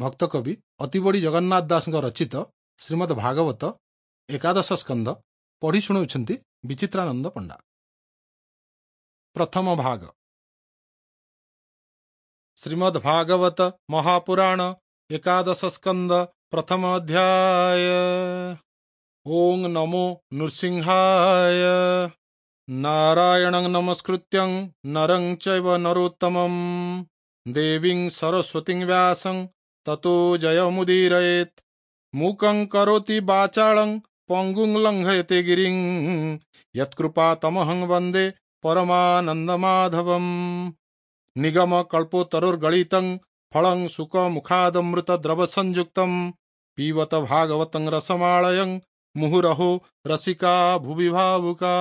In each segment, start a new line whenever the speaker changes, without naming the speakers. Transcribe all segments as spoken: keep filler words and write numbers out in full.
ଭକ୍ତକବି ଅତିବଡ଼ି ଜଗନ୍ନାଥ ଦାସଙ୍କ ରଚିତ ଶ୍ରୀମଦ୍ ଭାଗବତ ଏକାଦଶ ସ୍କନ୍ଧ ପଢ଼ି ଶୁଣାଉଛନ୍ତି ବିଚିତ୍ରାନନ୍ଦ ପଣ୍ଡା। ପ୍ରଥମ ଭାଗ। ଶ୍ରୀମଦ୍ ଭାଗବତ ମହାପୁରାଣ ଏକାଦଶ ସ୍କନ୍ଦ ପ୍ରଥମ ଅଧ୍ୟାୟ। ଓଁ ନମୋ ନୃସିଂହାୟ। ନାରାୟଣଂ ନମସ୍କୃତ୍ୟଂ ନରଂ ଚୈବ ନରୋତ୍ତମଂ ଦେବୀଂ ସରସ୍ୱତୀଂ ବ୍ୟାସଂ ତତୋ ଜୟମୁଦୀରୟେତ୍। ମୂକଂ କରୋତି ବାଚାଳଂ ପଙ୍ଗୁଂ ଲଙ୍ଘୟତେ ଗିରିଂ ୟତ୍କୃପା ତମହଂ ବନ୍ଦେ ପରମାନନ୍ଦମାଧବମ୍। ନିଗମ କଳ୍ପତରୁର୍ଗଳିତଂ ଫଳଂ ଶୁକ ମୁଖାଦମୃତ ଦ୍ରବ ସଂଯୁକ୍ତಂ ପିବତ ଭାଗବତଂ ରସମାଳୟଂ ମୁହୁରହୋ ରସିକା ଭୁବି ଭାବୁକା।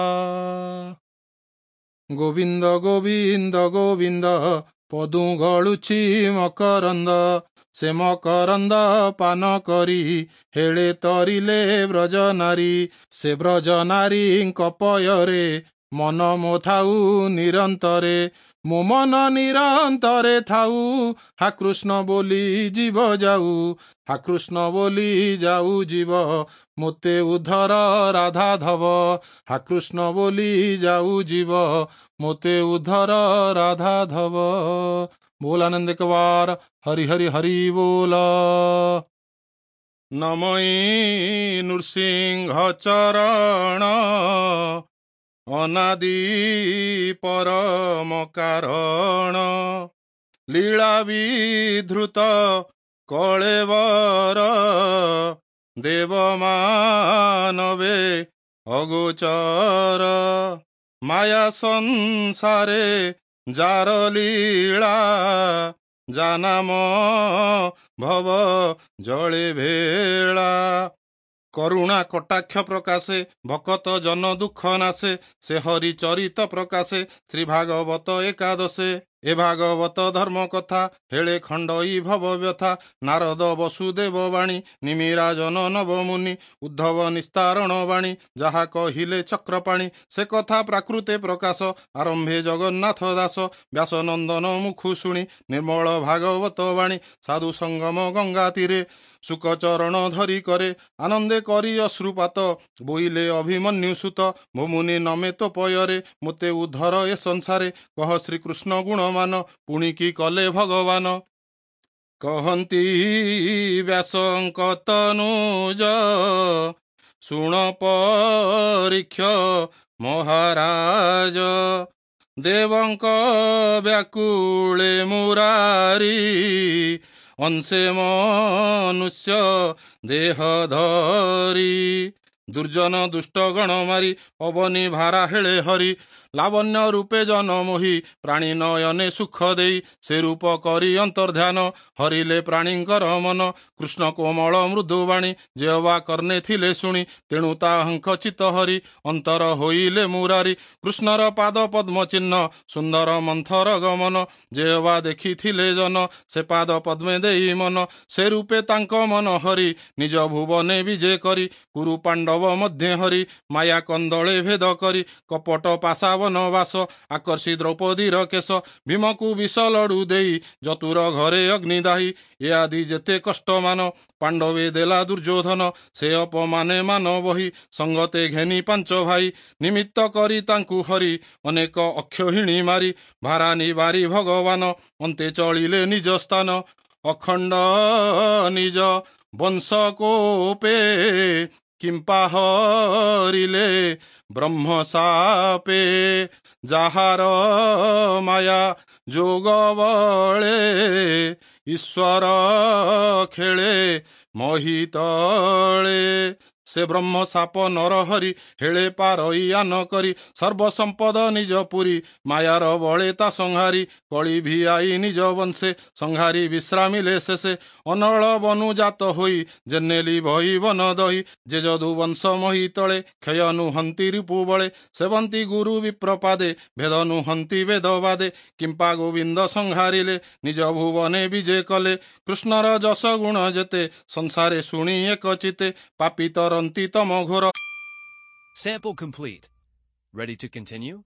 ଗୋବିନ୍ଦ ଗୋବିନ୍ଦ ଗୋବିନ୍ଦ ପଦୁ ଗଳୁଛି ମକରନ୍ଦ, ସେ ମକରନ୍ଦ ପାନ କରି ହେଳେ ତରିଲେ ବ୍ରଜ ନାରୀ, ସେ ବ୍ରଜ ନାରୀଙ୍କ ପୟରେ ମନ ମୋ ଥାଉ ନିରନ୍ତରେ, ମୋ ମନ ନିରନ୍ତରେ ଥାଉ, ହା କୃଷ୍ଣ ବୋଲି ଜୀବ ଯାଉ, ହା କୃଷ୍ଣ ବୋଲି ଯାଉ ଜୀବ, ମୋତେ ଉଦ୍ଧର ରାଧାଧବ, ହା କୃଷ୍ଣ ବୋଲି ଯାଉ ଜୀବ, ମୋତେ ଉଦ୍ଧର ରାଧାଧବ। ବୋଲ ଆନନ୍ଦ କବାର ହରି ହରି ହରି ବୋଲ। ନମଇ ନୃସିଂହ ଚରଣ ଅନାଦି ପରମ କାରଣ, ଲୀଳା ବିଧୃତ କଳେବର ଦେବ ମାନବେ ଅଗୋଚର, ମାୟା ସଂସାରେ ଯାର ଲୀଳା ଜାନାମ ଭବ ଜଳେ ଭେଳା। କରୁଣା କଟାକ୍ଷ ପ୍ରକାଶେ ଭକତ ଜନ ଦୁଃଖ ନାଶେ, ସେ ହରି ଚରିତ ପ୍ରକାଶେ ଶ୍ରୀ ଭାଗବତ ଏକାଦଶେ। ଏ ଭାଗବତ ଧର୍ମ କଥା ହେଳେ ଖଣ୍ଡଇ ଭବ ବ୍ୟଥା, ନାରଦ ବସୁଦେବ ବାଣୀ ନିମିରାଜନ ନବମୁନି, ଉଦ୍ଧବ ନିସ୍ତାରଣ ବାଣୀ ଯାହା କହିଲେ ଚକ୍ରପାଣି, ସେ କଥା ପ୍ରାକୃତେ ପ୍ରକାଶ ଆରମ୍ଭେ ଜଗନ୍ନାଥ ଦାସ। ବ୍ୟାସ ନନ୍ଦନ ମୁଖୁ ଶୁଣି ନିର୍ମଳ ଭାଗବତ ବାଣୀ, ସାଧୁ ସଙ୍ଗମ ଗଙ୍ଗା ତୀରେ ଶୁକ ଚରଣ ଧରି କରେ ଆନନ୍ଦେ କରି ଅଶ୍ରୁପାତ, ବୋଇଲେ ଅଭିମନ୍ୟୁ ସୁତ ଭୂମୁନି ନମେ ତୋ ପୟରେ, ମୋତେ ଉଦ୍ଧର ଏ ସଂସାରେ କହ ଶ୍ରୀକୃଷ୍ଣ ଗୁଣମାନ, ପୁଣି କି କଲେ ଭଗବାନ। କହନ୍ତି ବ୍ୟାସଙ୍କ ତନୁଜ ଶୁଣ ପରୀକ୍ଷ ମହାରାଜ, ଦେବଙ୍କ ବ୍ୟାକୁଳେ ମୁରାରୀ ଅଂଶେ ମନୁଷ୍ୟ ଦେହ ଧରି, ଦୁର୍ଜନ ଦୁଷ୍ଟ ଗଣ ମାରି ଅବନୀ ଭାରା ହେଳେ ହରି, ଲାବଣ୍ୟ ରୂପେ ଜନ ମୋହି ପ୍ରାଣୀ ନୟନେ ସୁଖ ଦେଇ, ସେ ରୂପ କରି ଅନ୍ତର୍ଧ୍ୟାନ ହରିଲେ ପ୍ରାଣୀଙ୍କର ମନ, କୃଷ୍ଣ କୋମଳ ମୃଦୁବାଣୀ ଯେ ଅବା କର୍ଣ୍ଣେ ଥିଲେ ଶୁଣି, ତେଣୁ ତାହାଙ୍କ ଚିତ୍ତ ହରି ଅନ୍ତର ହୋଇଲେ ମୁରାରୀ, କୃଷ୍ଣର ପାଦ ପଦ୍ମ ଚିହ୍ନ ସୁନ୍ଦର ମନ୍ଥର ଗମନ, ଯେ ଅବା ଦେଖିଥିଲେ ଜନ ସେ ପାଦ ପଦ୍ମେ ଦେଇ ମନ, ସେ ରୂପେ ତାଙ୍କ ମନ ହରି ନିଜ ଭୁବନେ ବିଜେ କରି, କୁରୁ ପାଣ୍ଡବ ମଧ୍ୟେ ହରି ମାୟା କନ୍ଦଳେ ଭେଦ କରି, କପଟ ପାଶା ବନବାସ ଆକର୍ଷି ଦ୍ରୌପଦୀର କେଶ, ଭୀମକୁ ବିଷ ଲଡୁ ଦେଇ ଯତୁର ଘରେ ଅଗ୍ନିଦାହୀ, ଏ ଆଦି ଯେତେ କଷ୍ଟମାନ ପାଣ୍ଡବେ ଦେଲା ଦୁର୍ଯ୍ୟୋଧନ, ସେ ଅପମାନେ ମାନ ବହି ସଙ୍ଗତେ ଘେନି ପାଞ୍ଚ ଭାଇ, ନିମିତ୍ତ କରି ତାଙ୍କୁ ହରି ଅନେକ ଅକ୍ଷୋହିଣୀ ମାରି, ଭାରା ନିବାରି ଭଗବାନ ଅନ୍ତେ ଚଳିଲେ ନିଜ ସ୍ଥାନ, ଅଖଣ୍ଡ ନିଜ ବଂଶ କୋପେ କିମ୍ପା ହରିଲେ ବ୍ରହ୍ମ ସାପେ, ଯାହାର ମାୟା ଯୋଗ ବଳେ ଈଶ୍ୱର ଖେଳେ ମହିତଳେ, ସେ ବ୍ରହ୍ମ ସାପ ନରହରି ହେଳେ ପାରଇ ଆନ କରି, ସର୍ବସମ୍ପଦ ନିଜ ପୁରୀ ମାୟାର ବଳେ ତା ସଂହାରୀ, କଳି ଭିଆଇ ନିଜ ବଂଶେ ସଂହାରୀ ବିଶ୍ରାମିଲେ ଶେଷେ, ଅନଳ ବନୁ ଜାତ ହୋଇ ଜେନେଲି ଭଇ ବନ ଦହି, ଯେ ଯଦୁ ବଂଶ ମହି ତଳେ କ୍ଷୟ ନୁହନ୍ତି ରିପୁ ବଳେ, ସେବନ୍ତି ଗୁରୁ ବିପ୍ରପାଦେ ଭେଦ ନୁହନ୍ତି ବେଦବାଦେ, କିମ୍ପା ଗୋବିନ୍ଦ ସଂହାରିଲେ ନିଜ ଭୁବନେ ବିଜେ କଲେ, କୃଷ୍ଣର ଯଶ ଗୁଣ ଯେତେ ସଂସାରେ ଶୁଣି ଏକ ଚିତେ, ପାପି ତରନ୍ତି ତମ ଘୋର।
Sample complete. Ready to continue?